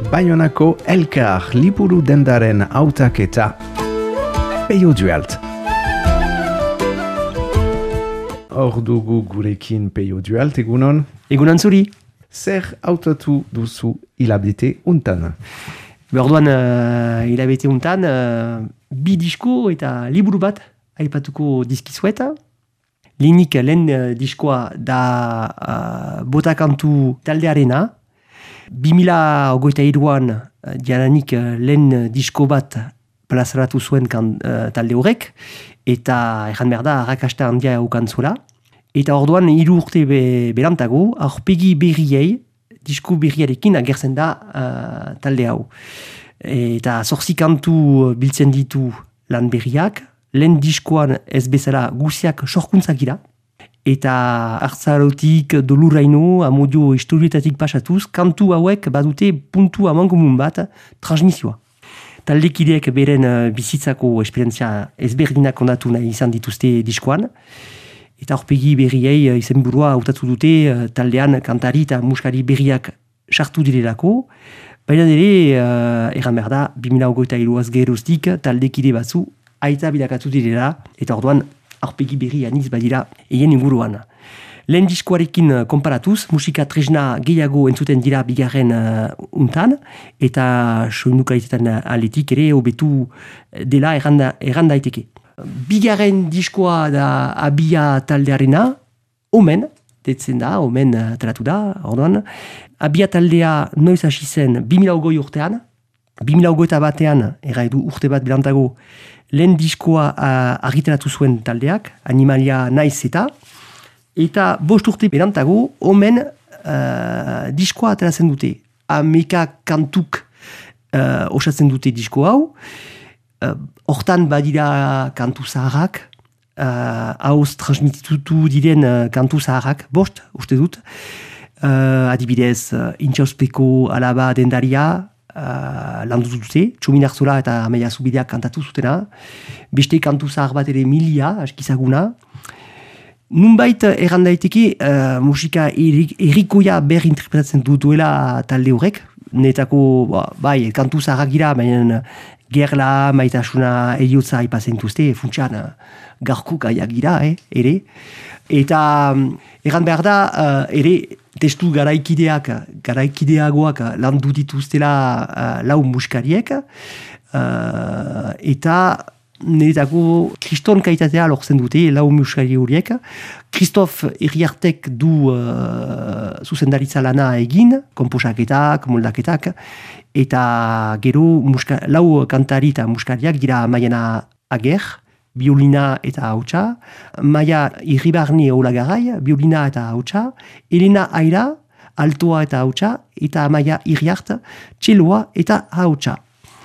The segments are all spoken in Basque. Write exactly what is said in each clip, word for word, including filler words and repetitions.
Baionako Elkar liburu dendaren hautaketa Peio Dualt. Hor dugu gurekin Peio Dualt, egunon? Egunon zuri. Zer hautatu duzu hilabete untan? Orduan uh, hilabete untan, uh, bi disko eta liburu bat aipatuko dizkizueta. Lehenik lehen uh, diskoa da uh, botakantu taldearena. bi mila hogeita hiruan uh, diananik uh, lehen disko bat plazaratu zuen kan, uh, talde horrek, eta erran behar da arrakasta handia eukan zuela. Eta orduan hiru urte be, berantago, aurpegi berriei, disko berriarekin agertzen da uh, talde hau. Eta zorzi kantu biltzen ditu lan berriak, lehen diskoan ez bezala guziak sorkuntzak dira, eta hartzarotik doluraino, amodio historietatik pasatuz, kantu hauek badute puntu amankomun bat transmisioa. Taldekideek beren uh, bizitzako esperientzia ezberdinak ondatu nahi izan dituzte diskoan, eta aurpegi berriei uh, izenburua hautatu dute uh, taldean kantari eta muskari berriak sartu direlako, baina ere, uh, erran behar da, bi mila hogeita hiruaz geroztik taldekide batzu aita bilakatu direla, eta orduan aurpegi berri aniz badira eien inguruan. Lehen diskoarekin konparatuz, musika tresna gehiago entzuten dira bigarren uh, untan, eta soinukalitetan aletik ere hobetu dela erranda, erranda daiteke. Bigarren diskoa da Abia taldearena, omen, detzen da, omen ateratu da, orduan. Abia taldea noiz hasi zen bi mila hogei urtean, bi mila hogeita batean, erra edu urte bat bilantago, lehen diskoa uh, argitaratu zuen taldeak, Animalia naiz eta, eta bost urte berantago, omen uh, diskoa ateratzen dute. Ameka kantuk uh, osatzen dute disko hau, hortan uh, badira kantu zaharrak, uh, hauz transmititu diren uh, kantu zaharrak, bost, uste dut, uh, adibidez, uh, intxauspeko alaba dendaria, Uh, landu dute, Txomin Arzola eta Amaia Zubideak kantatu zutena, beste kantu zahar bat ere milia, askizaguna. Nunbait erran daiteke uh, musika errikoia ber interpretatzen duela talde horrek, netako, ba, bai, kantu zaharrak gira, baina gerla, maitasuna, eriotza ipazen duzte, funtsan uh, garko gaiak gira, eh, ere. Eta um, erran behar da, uh, ere, testu garaikideak, garaikideagoak landu dituztela uh, lau muskariek, uh, eta niretako kriston kaitatea lortzen dute lau muskari horiek. Kristof Iriartek du uh, zuzendaritza lana egin, komposaketak, moldaketak, eta gero muska, lau kantari eta muskariak dira Maiana Ager, biolina eta hautsa, Maia Irribarne Olagarai, biolina eta hautsa, Elena Aira, altoa eta hautsa, eta Maia Irriart, txeloa eta hautsa.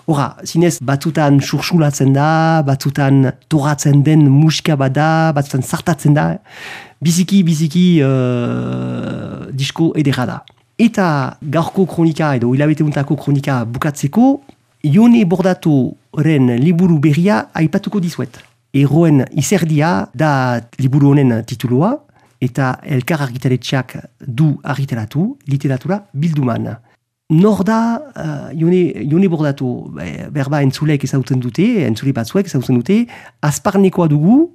Hora, zinez, batzutan sursulatzen da, batzutan toratzen den musika bada, batzutan zartatzen da, biziki, biziki uh, disko edera da. Eta gaurko kronika edo hilabeteuntako kronika bukatzeko, Ione Bordatoren liburu berria aipatuko dizuet. Erroen izerdia da liburu honen titulua, eta Elkar argitaletxeak du argitaratu, literatura bilduman. Nor da uh, Ione, Ione Bordato, berba entzulek ezautzen dute, entzule batzuek ezautzen dute, azparnekoa dugu,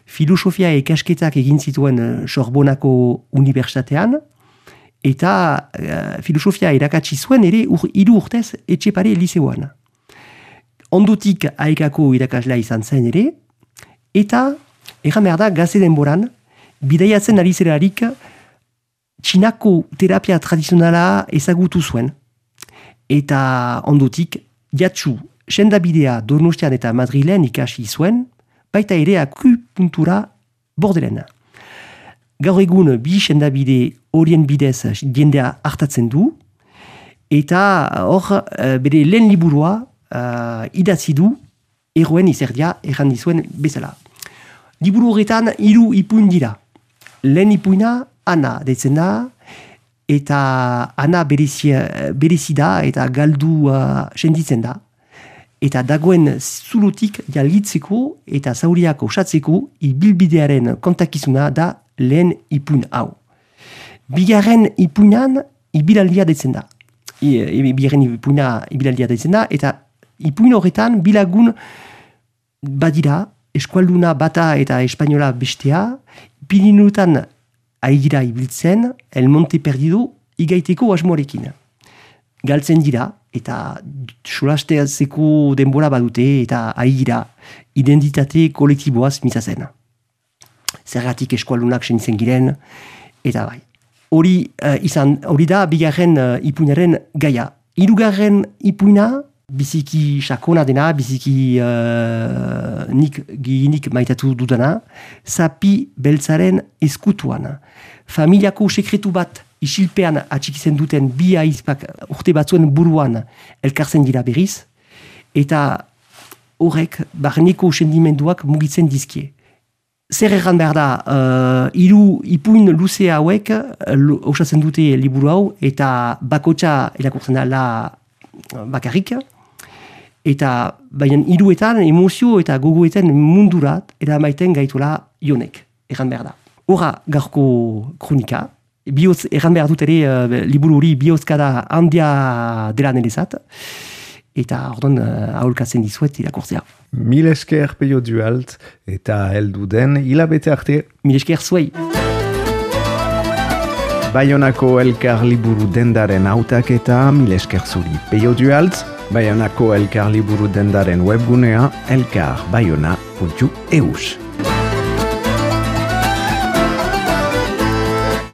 filosofia ikasketak egin zituen Sorbonako Unibertsitatean, eta uh, filosofia irakatsi zuen ere ur, hiru urtez Etxepare liseoan. Ondotik aekako irakaslea izan zen ere, eta erran behar da gaze denboran, bidaiatzen ari zerarik txinako terapia tradizionala ezagutu zuen. Eta ondotik, jatsu, sendabidea Donostian eta Madrilen ikasi zuen, baita ere akupuntura Bordelen. Gaur egun bi sendabide horien bidez jendea hartatzen du, eta hor bere lehen liburua uh, idatzi du erroen izerdia erran dizuen bezala. Liburu horretan hiru ipuin dira. Lehen ipuina Ana deitzen da, eta Ana berezi da eta galdua senditzen da. Eta dagoen zulotik jalgitzeko eta zauriak osatzeko ibilbidearen kontakizuna da lehen ipuin hau. Bigarren ipuinan ibilaldia deitzen da. bigarren ipuina ibilaldia da izena, eta ipuin horretan bilagun badira, eskualduna bata eta espainola bestea, Pirinuetan ari dira ibiltzen, El Monte Perdido igaiteko asmoarekin. Galtzen dira, eta solasteazeko denbora badute, eta ari dira identitate kolektiboaz mintzatzen. Zergatik eskualdunak senitzen giren, eta bai. Hori uh, izan, hori da bigarren uh, ipuinaren gaia. Hirugarren ipuina, biziki sakona dena, biziki uh, nik gihinik maitatu dudana, Zapi beltzaren eskutuan. Familiako sekretu bat isilpean atxikitzen duten bi aizpak urte batzuen buruan elkartzen dira berriz, eta horrek barneko sendimenduak mugitzen dizkie. Zer erran behar da, uh, hiru ipuin luze hauek uh, osatzen dute liburu hau, eta bakotxa irakurtzen dela bakarrik, eta baina hiruetan emozio eta gogoetan mundurat eramaiten gaituela Jonek, erran behar da. Horra gaurko kronika, bioz, erran behar dut ere uh, liburu hori bihozkada handia dela nerezat, eta orduan uh, aholkatzen dizuet irakurtzea. Mil esker Peio Duhalt eta heldu den hilabete arte. Mil esker zuei. Baionako Elkar liburu dendaren hautaketa, mil esker zuri Peio Duhalt. Baionako Elkar liburu dendaren webgunea elkar baiona puntu eus.